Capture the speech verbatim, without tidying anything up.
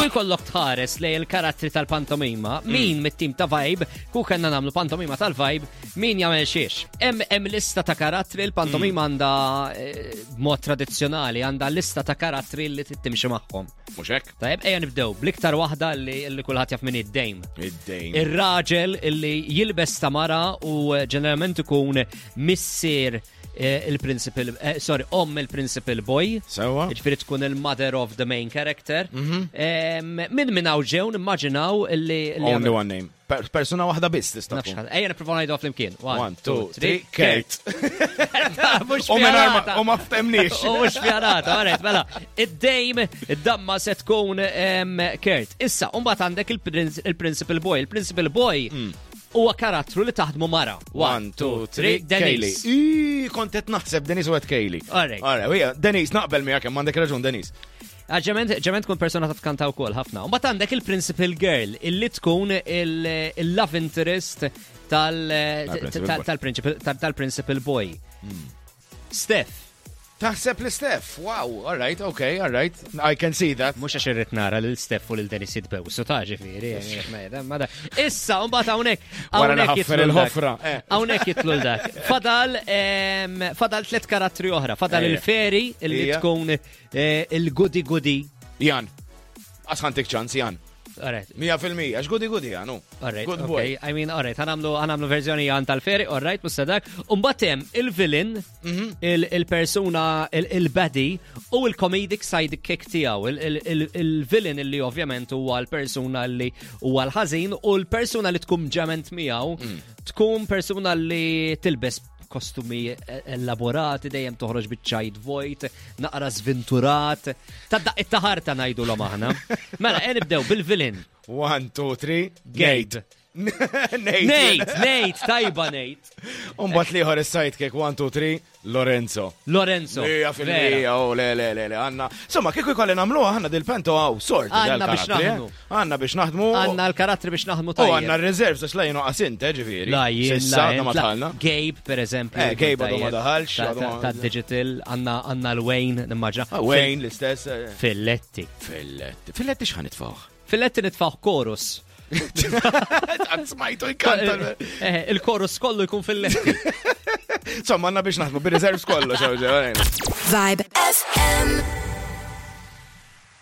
Kieku jkollok tħares lejn il-karattri tal-pantomima, min mit-tim ta' Vibe, ku kellna nagħmlu pantomima tal-Vibe, min jagħmel xiex. Hemm hemm lista ta' karattri, il-pantomima għandha eh, b'mod tradizzjonali għandha lista ta' karattri li trid timxi magħhom. Mhux hekk? Tajjeb, ejja nibdew bl-iktar waħda li, li kulħadd jaf min id-Dame. Id-Dame. Ir-raġel illi jilbes ta' mara u eh, ġeneralment ikun missier eh, il-principal, eh, sorry, om il-principal boy. Sewa. Ġifieri tkun il-mother of the main character. Em, Min minn hawn ġew nimmaġinaw illi. illi Only one name. Per- Persuna waħda biss tista' Nafx tkun. ħadd. Ejja nippruvaw ngħidu flimkien. One, two, three, Kurt. Mhux U mingħajr ma- pjanata. u ma ftemniex. U mhux pjanata, alright, mela. Id-Dame, id-damma se tkun em, Kurt. Issa, mbagħad għandek il-princ- il-principal boy. Il-principal boy huwa karattru li taħdmu mara. One, two, three, Kaylee. Denise. Ii, kont qed naħseb Denise u għedt Kaylee. Alright. Alright, ija, Denise, naqbel miegħek hemm għandek raġun Denise. Ah, Ġement ġement tkun persona ta' tkanta wkoll ħafna. U mbagħad għandek il-principal girl illi tkun il- il-love interest tal- Tal-principal tal- boy. tal-principal tal- tal-principal boy. Steph, Taħseb li Steph, wow, all right, okay, all right. I can see that. mhux għax irrid nara lil Steph u lil Dennis jitbewsu ta' ġifieri. eh, ma da- Issa, mbagħad hawnhekk Wara li hawnhekk ħaffer jitlu dak. il-ħofra, eh. Hawnhekk jitlu dak. Fadal em, fadal tliet karattri oħra. Fadal Ejja. il-fairy illi Ija. tkun eh, il-goody goody. Jan, għasħantik ċans, Jan. Alright, Mija fil-mija, għax goody goody, Jan, u. Alright, Good boy. okay. I mean, alright, ħa nagħmlu ħa nagħmlu verżjoni għan tal-fairy, alright, mhux dak. Umbagħad hemm il-villain, Mhm. il- il-persuna, il- il-baddie u il-comedic sidekick tiegħu, il- il- il- il-villain illi ovvjament huwa l-persuna li huwa l-ħażin u l-persuna li tkun ġement miegħu Mm. tkun persuna li tilbes kostumi elaborati, dejjem toħroġ biċ-ċajt vojt, naqra sventurat, ta' daq it-taħarta ngħidu l aħna. Mela, e nibdew bil-villain. One, two, three, Gabe. Nate. Nate. Nate, Nate, tajba Nate. Umbagħad l-ieħor is-sidekick, one, two, three, Lorenzo. Lorenzo. Mija fil-mija, oh, le, le, le, le, għanna. Insomma, kieku jkolli nagħmluha, għanna dil-pento għaw, sort. Għanna biex naħdmu. Għanna biex naħdmu. Għanna l-karattri biex naħdmu U tajjeb. għanna r-reserves, għax la jenu għasint, eh, ġifieri. La jien, Sissa, la għadna ma jien, la- tħalna. Gabe, per eżempju. Eh, Gabe għadu ma tajjeb. daħalx, Ta- għadu ta- ma- Ta' digital, għanna għanna l-Wayne, nimmaġna. Ah, Wayne, l-istess. eh. Filletti. Filletti. Filletti x'ħan nitfawh? Filletti nitfaħ chorus. Għad smajtu jkanta. Eh, Il-chorus kollu jkun filletti. Insomma, għanna biex naħdmu, bir-reserves kollu, xew, xew, Vibe FM.